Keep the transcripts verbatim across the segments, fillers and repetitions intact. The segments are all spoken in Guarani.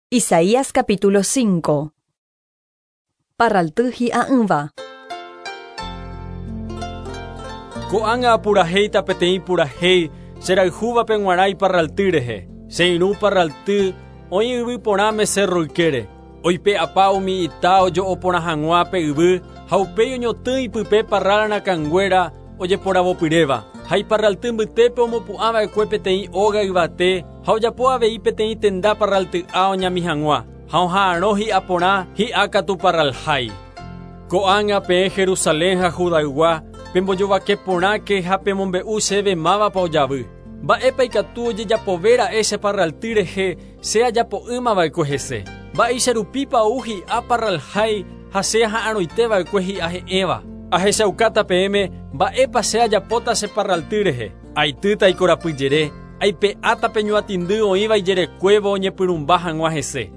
Isaías capítulo cinco. Parralty hi'a'ỹva. Ko'ág̃a apurahéita peteĩ purahéi cherayhúvape g̃uarã iparralty rehe. Che irũ parralty oĩ yvy porãme cerro ykére. Oipe'apa umi ita ojo'oporã hag̃ua pe yvy ha upéi oñotỹ ipype parral rakãnguéra ojeporavopyréva. Ha iparralty mbytépe omopu'ãva'ekue peteĩ óga yvate ha ojapo avei peteĩ tenda parralty'a oñami hag̃ua. Ha oha'arõ hi'a porã hi'a katu parralhái. Ko'ág̃a peẽ Jerusalén ha Judaygua pembojovake porãke ha pemombe'u chéve mávapa ojavy. Mba'épa ikatu ojejapovéra'e che parralty rehe che ajapo'ỹmava'ekue hese. Mba'eicharupípa ou hi'a parralhái ha che aha'arõiteva'ekue hi'a he'ẽva. Ahechaukáta peẽme mba'épa che ajapóta che parralty rehe. Aitýta ikorapyjere, aipe'áta pe ñuatĩndy oĩva ijerekuévo oñepyrũmba hag̃ua hese.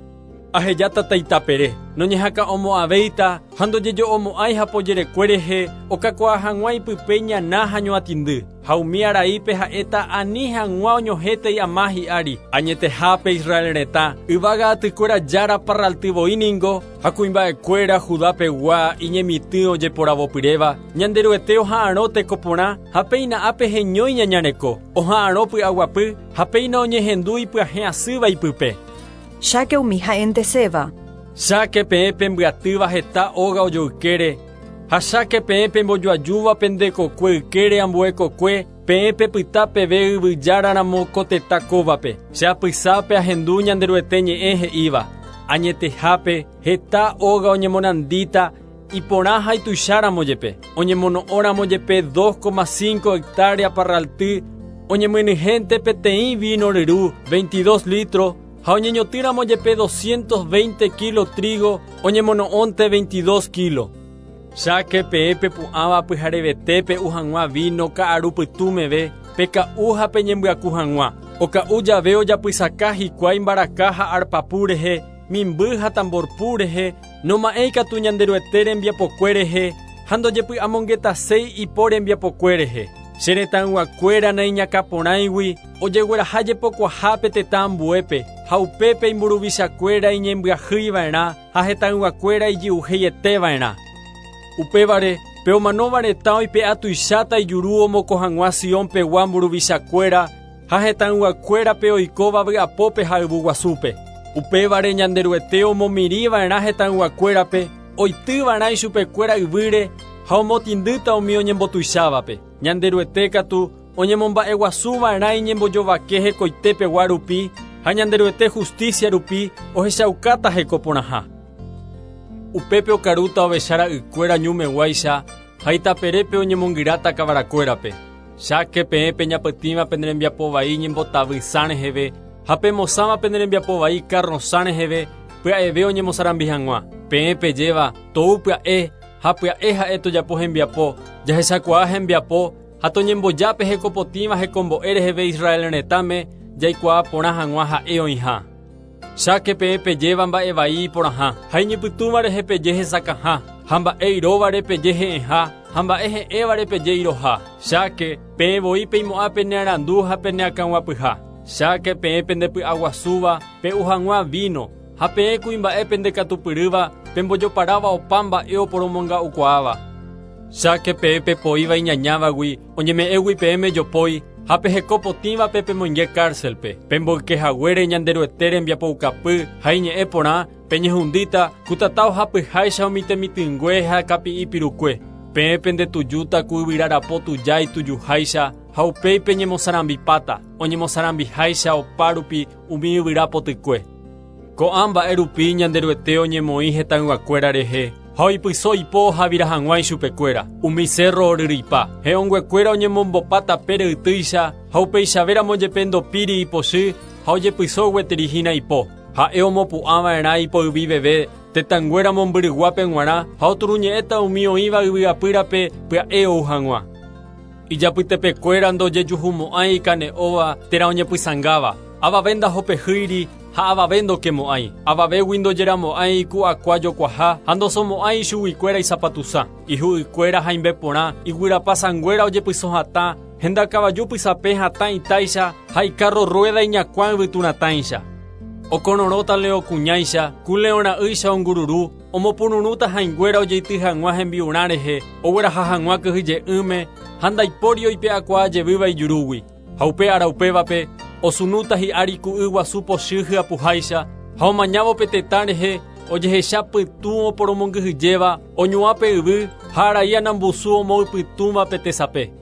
Ahejáta taitapere, noñehakã'omo'ãvéita ha ndojejo'omo'ãi hapojerekue rehe okakuaa hag̃ua ipype ñana ha ñuatĩndy. Ha umi araípe ha'éta ani hag̃ua oñohétei ama hi'ári. Añetehápe Israel retã, yvága atykuéra jára parraltyvoi ningo ha kuimba'ekuéra Judapegua iñemitỹ ojeporavopyréva. Ñanderuete oha'arõ tekoporã ha péina ápe heñói ñañareko. Oha'arõ py'aguapy ha péina oñehendu ipyahẽ asýva ipype. Cháke umi ha'enteséva. Cháke peẽ pembyatýva heta óga ojoykére ha cháke peẽ pembojoajúva pende kokue ykére ambue kokue peẽ pepyta peve yvyjáraramo ko tetã kóvape. Che apysápe ahendu Ñanderuete ñe'ẽ he'íva. Añetehápe heta óga oñemonandíta iporã ha ituicháramo jepe. Oñemono'õramo jepe dos coma cinco hectárea parralty oñemyenyhẽnte peteĩ vino ryru veintidós litros ha oñeñotỹramo jepe doscientos veinte kilo trigo oñemono'õnte veintidós kilo. Cháke peẽ pepu'ãva pyharevete pe'u hag̃ua vino ka'aru pytũmeve peka'u ha peñembyaku hag̃ua. Oka'u jave ojapysaka hikuái mbaraka ha arpapu rehe, mimby ha tamborpu rehe, noma'ẽi katu Ñanderuete rembiapokue rehe ha ndojepy'amongetaséi ipo rembiapokue rehe. Che retãyguakuéra naiñakãporãigui ojegueraha jepokuahápe tetã ambuépe ha upépe imburuvichakuéra iñembyahýiva'erã ha hetãyguakuéra ijy'uheieteva'erã. Upévare pe omanóva retã oipe'a tuicháta ijuru omoko hag̃ua Sionpegua mburuvichakuéra ha hetãyguakuérape oikóva vy'apópe ha yvyguasúpe. Upévare Ñanderuete omomirĩva'erã hetãyguakuérape oitýva'erã ichupekuéra yvýre ha omotĩndýta umi oñembotuichávape. Ñanderuete katu oñemomba'eguasuva'erã iñembojovake hekoitepegua rupi ha Ñanderuete justicia rupi ohechaukáta hekoporãha. Upépe okarúta ovecha ra'ykuéra ñumeguáicha ha itaperépe oñemongyráta kavarakuérape. Cháke peẽ peñapytĩva pene rembiapo vai ñembotavysã reheve ha pemosãva pene rembiapo vai karrosã reheve pya'eve oñemosarambi hag̃ua. Peẽ pejéva tou pya'e ha pya'e ha'e tojapo hembiapo, jahechakuaa hembiapo ha toñembojápe hekopotĩva hekombo'e reheve Israel retãme jaikuaa porã hag̃ua ha'e oĩha. Cháke peẽ pejéva mba'e vai iporãha ha iñepytũva rehe peje hesakãha ha mba'e iróvare peje he'ẽha ha mba'e he'ẽvare peje iroha. Cháke peẽ voi peimo'ã penearandu ha peneakãguapyha. Cháke peẽ pendepy'aguasúva pe'u hag̃ua vino ha peẽ kuimba'e pendekatupyrýva pembojoparáva opa mba'e oporomonga'ukuaáva. Cháke peẽ pepoíva iñañávagui oñeme'ẽgui peẽme jopói ha pehekopotĩvape pemoinge cárcelpe. Pemboykehaguére Ñanderuete rembiapoukapy ha iñe'ẽ porã peñehundíta ku tata ohapyháicha umi temitỹngue ha kapi'i pirukue. Peẽ pendetujúta ku yvyrarapo tuja itujuháicha ha upéi peñemosarambipáta oñemosarambiháicha opárupi umi yvyra potykue. Ko'ã mba'e rupi Ñanderuete oñemoĩ hetãyguakuéra rehe ha oipyso ipo ohavira hag̃ua ichupekuéra. Umi cerro oryryipa, he'õnguekuéra oñemombopa tapére ytýicha ha upeichavéramo jepe ndopíri ipochy ha ojepyso gueteri hína ipo. Ha'e omopu'ãva'erã ipoyviveve tetãnguéra mombyryguápe g̃uarã ha oturuñe'ẽta umi oĩva yvyapýrape pya'e ou hag̃ua. Ijapytepekuéra ndojejuhumo'ãi ikane'õva térã oñepysãngáva. Avave ndahopehýiri ha avave ndokemo'ãi. Avavégui ndojeramo'ãi iku'akua jokuaha ha ndosomo'ãi ichuguikuéra isapatusã. Ihu'ykuéra haimbe porã, iguyrapasãnguéra ojepyso hatã, henda kavaju pysapẽ hatã itáicha ha ikarro rueda iñakuã yvyturatãicha. Okororõta leõ kuñáicha, ku leõ ra'ýicha ongururu, omopururũta hãinguéra ojeity hag̃ua hembi'urã rehe, ogueraha hag̃ua kyhyje'ỹme ha ndaipóri oipe'akuaa jevýva ijurúgui. Ha upe ára upévape osunúta hi'ári ku yguasu pochy hyapuháicha ha omañávo pe tetã rehe ojehecha pytũ oporomongyhyjéva oñuã pe yvy ha arai anambusu omoypytũva pe tesape.